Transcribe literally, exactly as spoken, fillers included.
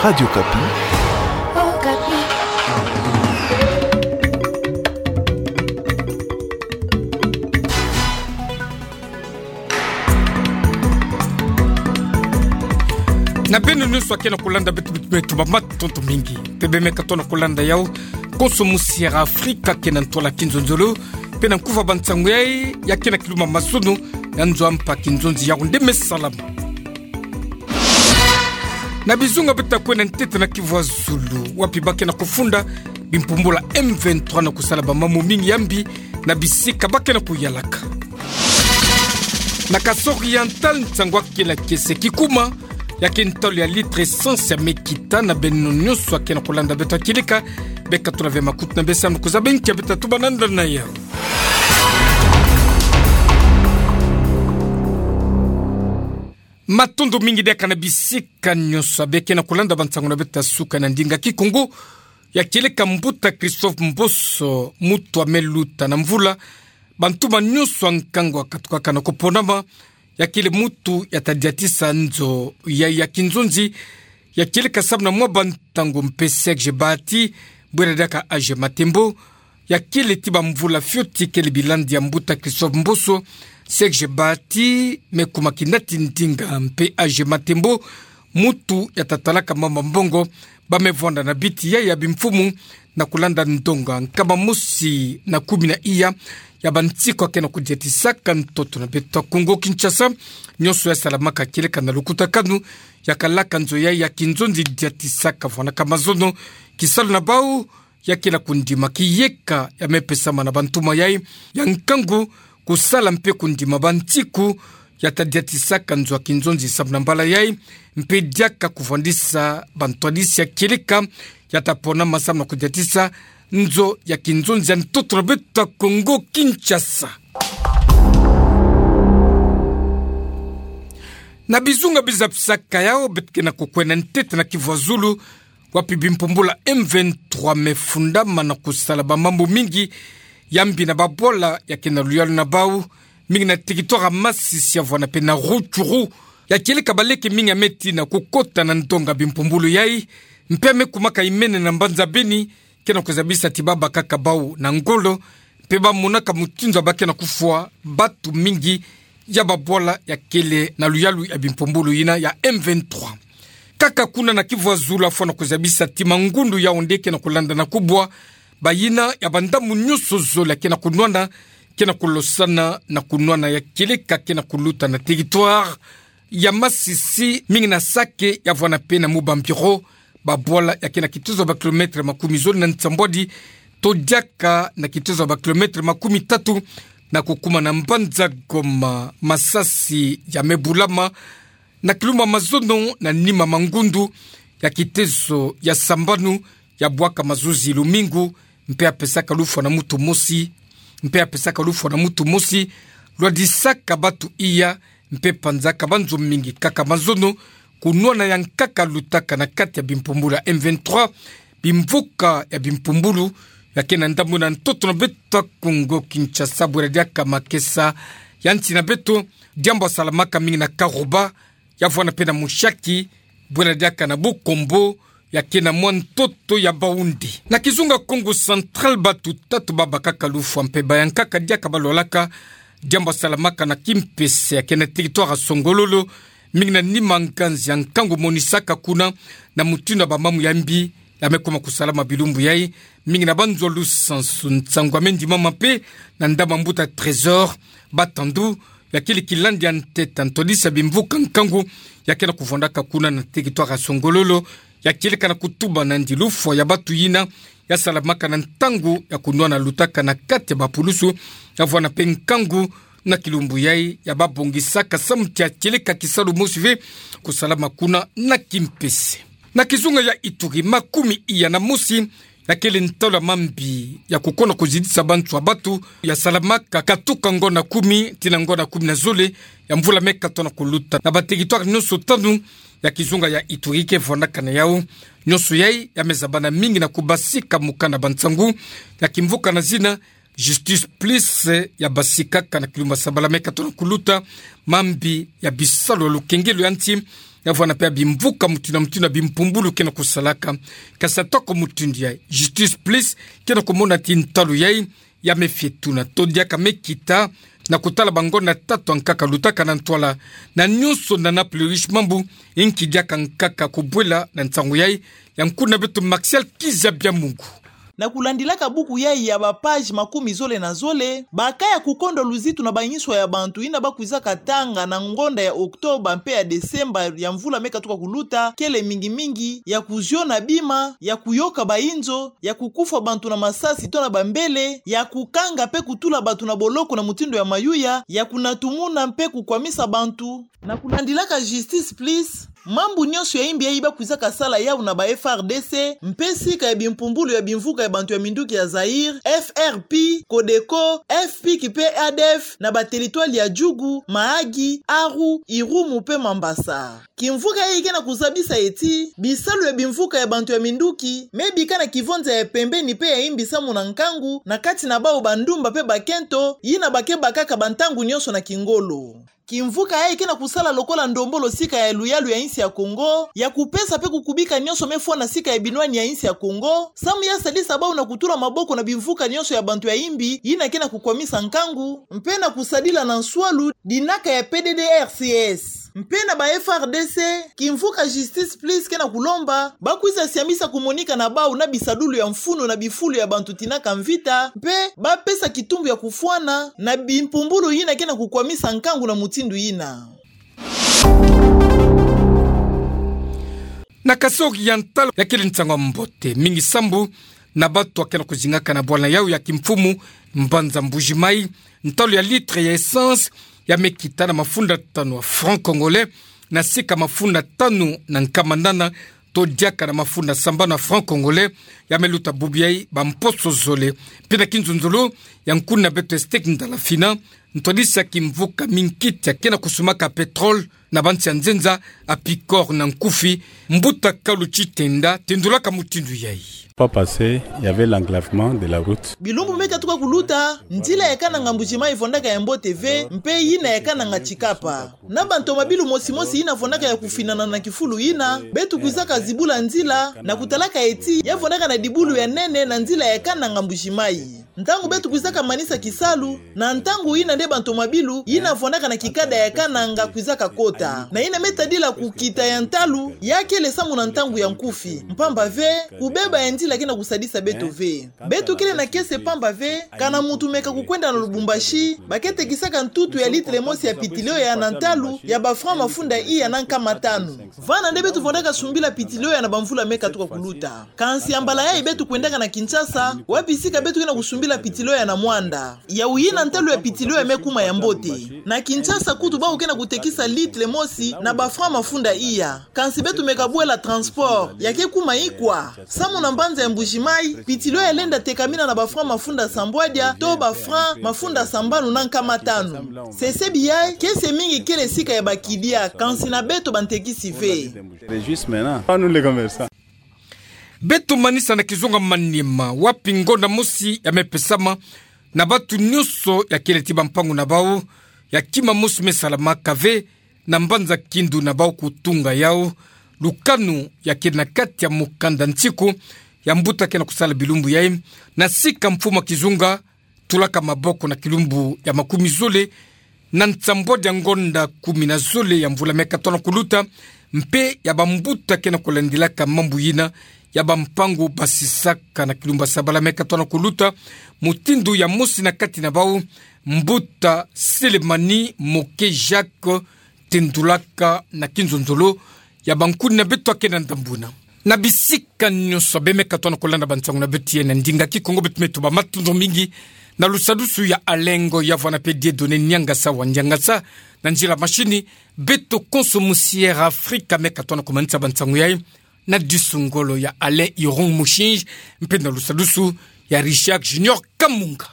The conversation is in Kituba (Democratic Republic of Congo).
Radio Okapi. Na beno nyonso akena kolanda beto, beto, beto, matondo mingi. Mpe bemeka tona kolanda yau, konso mosi ya Afrika kena ntwala kinzonzolo, mpe na nkufa bansango yai, ya kena kiluma mazono, ya nzo a mpa kinzonzi yau nde me salama. Na bizunga beta kwenda ntete na Kivu ya Zulu, wapi bakena kufunda bimpumbulu ya M vingt-trois na kusala bamambu mingi ya mbi na bisika bakena kuyalaka. Na Kasaï Oriental, nsangu akela kiese kikuma, ya ke ntalu ya litre essence ya me kita. Na beno nyonso akena kolanda beto ya kieleka, beka tula ve makutu na besamu kuzaba nkia beta tuba na ndana yau. Matondo mingi diaka na bisika nyonso ya bekena kolanda bansangu na beto ya suka na ndinga Kikongo. Ya kieleka Mbuta Christophe Mboso, mutu ya me luta na mvula, bantuma nyonso ya nkangu ya katukaka na kuponama, ya kele mutu ya ta diatisa nzo yai ya kinzonzi. Ya kieleka samu na mwa bantangu mpe Serge Bahati, bwela diaka Age Matembo, ya kele ti bamvula fioti kele bilandi ya Mbuta Christophe Mboso, Serge Bahati me kuma kinati ndinga mpe Age Matembo, mutu ya ta talaka mama mbongo, ba me vwanda na biti yai ya bimfumu, na kulanda ndonga nkama mosi na kumi na iya ya bansiku akena kudiatisaka ntoto na beto ya Kongo Kinshasa. Nyonso ya salamaka kieleka na lukutakanu, ya kalaka nzo yai ya kinzonzi diatisaka vwanaka mazono, kisalu na bau, ya kela kundima kiyeka ya me pesama na bantuma yai ya nkangu, kusala mpe kundima bansiku ya ta diatisaka nzo ya kinzonzi samu na mbala yai, mpe diaka kuvwandisa bantwadisi ya kieleka ya ta ponama samu na kudiatisa nzo ya kinzonzi ya ntoto na beto ya Kongo Kinshasa. Na bizunga bizapisaka yau, beto kena kukwenda ntete na Kivu ya Zulu, wapi bimpumbulu ya M vingt-trois me fundama na kusala bamambu mingi ya mbi na babwala ya kena luyalu na bau, mingi na territoire ya Masisi ya vwanda mpe na Rutshuru. Ya kieleka baleke mingi ya me tina kukota na ndonga bimpumbulu yai, mpe ya me kumaka imene na mbanza Beni, kena kuzabisa ti ba bakaka bau na ngolo, mpe ba monaka mutindu ya bakena kufwa batu mingi ya babwala ya kele na luyalu ya bimpumbulu yina ya M vingt-trois. Kaka kuna na Kivu ya Zulu, fwana kuzabisa ti mangundu yau nde kena kulanda na kubwa, bayina ya bandambu nyonso zole ya kena kunwana, kena kulosana na kunwana ya kieleka kena kuluta na territoire ya Masisi, mingi na Sake ya vwanda mpe na Mubambiro, babwala ya kena kitezo ya ba kilomètre makumi zole na nsambwadi, to diaka na kitezo ya ba kilomètre makumi tatu, na kukuma na mbanza Goma. Masasi ya me bulama na kiluma mazono na nima mangundu ya kitezo ya sambanu, ya bwaka mazuzi lumingu, mpe ya pesaka lufwa na mutu mosi, mpe ya pesaka lufwa na mutu mosi, lwadisaka batu iya, mpe panzaka banzo mingi kaka mazono, kunwana ya nkaka lutaka na kati ya bimpumbulu ya M vingt-trois, bimvuka ya bimpumbulu ya kena ndambu na ntoto na beto ya Kongo Kinshasa, bwela diaka makesa ya nsi na beto, diambu ya salamaka mingi na Karuba, ya vwanda mpe na Mushaki, bwela diaka na Bukombo, ya kena mwa ntoto ya Baoundé. Na kizunga Kongo Central, batu tatu ba bakaka lufwa mpe ba yankaka diaka ba lwalaka, diambu ya salamaka na Kimpese ya kena territoire ya Songololo, mingi na nima nganzi ya nkangu monisaka kuna, na mutindu ya bamambu ya mbi ya me kuma kusalama bilumbu yai, mingi na banzo ya lusansu. Nsangu ya me ndimama mpe na ndama mbuta Trésor Batandu, ya kele kilandi ya ntete ya ntwadisi ya bimvuka nkangu ya kena kuvwandaka kuna na territoire ya Songololo, ya kieleka na kutuba nandi lufwa ya batu yina ya salamaka na ntangu ya kunwana lutaka na kati ya bapulusu, ya vwanda mpe nkangu na kilumbu yai ya babongisaka samu ti ya kieleka kisalu mosi ve kusalama kuna na Kimpese. Na kizunga ya Ituri, makumi iya na mosi ya kele ntalu ya mambi ya kukona kuzidisa bantu ya batu ya salamaka katuka ngonda kumi tii na ngonda kumi na zole ya mvula me katono kuluta na ba territoire nyonso tanu ya kizunga ya Ituri ke vwandaka na yau. Nyonso yai ya me zabana mingi na kubasika mukanda ba nsangu ya kimvuka na zina Justice Plus, ya basikaka na kilumbu ya sabala me katono kuluta mambi ya bisalu ya lukengelo ya nsi, ya vwanda pe bimvuka mutindu na mutindu ya bimpumbulu ke na kusalaka. Kasi atako mutindu yai, Justice Plus ke na kumona ti ntalu yai ya me fie tuna to diaka me kita na kutala bangonda tatu ya nkaka lutaka na ntwala na nyonso na Naples Riche mambu, nki diaka nkaka kubwela na nsangu yai, ya nkuna beto Martial Kizabiamungu. Na kulandilaka buku yai ya ba page makumi zole na zole, ba cas ya kukondwa luzitu na banswa ya bantu yina ba kwizaka tanga na ngonda ya Octobre mpe ya Decembre ya mvula me katuka kuluta, kele mingi-mingi ya kuziona bima, ya kuyoka bainzo, ya kukufwa bantu na masasi to na bambele, ya kukanga mpe kutula bantu na boloko na mutindu ya mayuya, ya kunatumuna mpe kukwamisa bantu. Na kulandilaka Justice Plus, mambu nyonso ya imbi yai ba kwizaka sala yau na ba F R D C, mpe sika ya bimpumbulu ya bimvuka ya bantu ya minduki ya Zaïre, F R P, Codeco, F P I C mpe A D F, na ba territoire ya Djougou, Mahagi, Arou, Irumu mpe Mambasa. Kimvuka yai ke na kuzabisa ti bisalu ya bimvuka ya bantu ya minduki me bika na kivonza ya pembeni mpe ya imbi samu na nkangu na kati na bau bandumba mpe bakento yina ba ke bakaka bantangu nyonso na kingolo. Kimvuka yai ke na kusala lokola ndombolo sika ya luyalu ya insi ya Kongo, ya kupesa mpe kukubika nyonso me fwa na sika ya binwani ya insi ya Kongo, samu ya sadisa bau na kutula maboko na bimvuka nyonso ya bantu ya imbi yina ke na kukwamisa nkangu, mpe na kusadila na nswalu dinaka ya P D D R C S. Mpe na ba F R D C, kimvuka Justice Plus ke na kulomba ba kwiza siamisa kumonika na bau na bisadulu ya mfunu na bifulu ya bantu tinaka mvita, mpe ba pesa kitumbu ya kufwana na bimpumbulu yina ke na kukwamisa nkangu na mutindu yina. Na Kasaï oriental, ya kele nsangu ya mbote mingi sambu na bantu ya ke na kuzingaka na bwala yau ya kimfumu, mbanza Mbuji-Mayi, ntalu ya litre ya essence ya me kita na mafunda tanu ya francs congolais, na sika mafunda tanu na nkama nana to diaka na mafunda sambanu ya francs congolais, ya me luta bubu yai bamposo zole. Mpe na kinzonzolo, ya nkuna beto Estec Ndalafina, ntwadisi ya kimvuka minkiti ya ke na kusumaka pétrole na bansi ya nzenza, APICOR na nkufi, mbuta Kalu Tshitenda, tendulaka mutindu yai. Pas passé, il y avait l'enclavement de la route. Bilumbu me katuka kuluta, nzila ya kananga Mbuji-Mayi vwandaka ya mbote ve, mpe yina ya kananga Tshikapa. Na bantomabilu mosi-mosi yina vwandaka ya kufinana na kifulu yina, beto kwizaka zibula nzila, na kutalaka ti ya vwandaka na dibulu ya nene na nzila ya kananga Mbuji-Mayi. Ntangu beto kwizaka manisa kisalu, na ntangu yina nde bantomabilu yina vwandaka na kikada ya kananga kwizaka kota. Na yina me tadila kukita ya ntalu, ya kele samu na ntangu ya nkufi. Mpamba ve, kubeba ya nzila ke na kusadisa beto ve. Beto kele na kiese mpamba ve, kana muntu meka kukwenda na Lubumbashi, ba ke tekisaka ntutu ya litre mosi ya pitilio ya na ntalu ya ba francs mafunda iya na nkama tanu. Vana nde beto vwandaka sumbila pitilio ya na bamvula me katuka kuluta. Kansi ya mbala yai beto kwendaka na Kinshasa, wapi sika beto ke na kusumbila pitilio ya na mwanda. Yau yina ntalu ya pitilio ya me kuma ya mbote. Na Kinshasa kutu bau ke na kutekisa litre mosi na ba francs mafunda iya. Kansi beto meka bwela transport, ya ke kuma ikwa. Samu na mbanza ya Mbuji-Mayi, pitilio ya lenda tekamina na ba francs mafunda sambwadia, to ba francs mafunda sambanu na nkama tanu. Sesebi yai, kiese mingi kele sika ya bakidia, kansi na beto bantekisi ve. Juste maintenant, pas nous les commerçants. Beto manisa na kizunga Maniema, wapi ngonda mosi ya me pesama na bantu nyonso ya kele ti bampangu na bau, ya kima mosi me salamaka ve na mbanza Kindu na bau kutunga yau lukanu ya kele na kati ya mukanda nsiku ya mbuta ke na kusala bilumbu yai, na sika mfumu ya kizunga tulaka maboko na kilumbu ya makumi zole na nsambwadia ngonda kumi na zole ya mvula me katono kuluta, mpe ya bambuta ke na kulandilaka mambu yina ya bampangu basisaka na kilumbu ya sabala me katono kuluta, mutindu ya mosi na kati na bau, mbuta Selemani Moke Jacques, tendulaka na kinzonzolo ya bankuni na beto ya ke na ndambu yina. Na bisika nyonso beno me katono kulanda bansangu na beto ya na ndinga Kikongo, beto me tuba matondo mingi na lusadusu ya Alengo ya vana pe Dieudonné Niangasa wa Niangasa, na nzila mashini, beto konso musi Air Afrika me katono kumanisa bansangu yai na disu ngolo ya Alain Irung Mushinji, mpe na lusadusu ya Richard Junior Kamunga.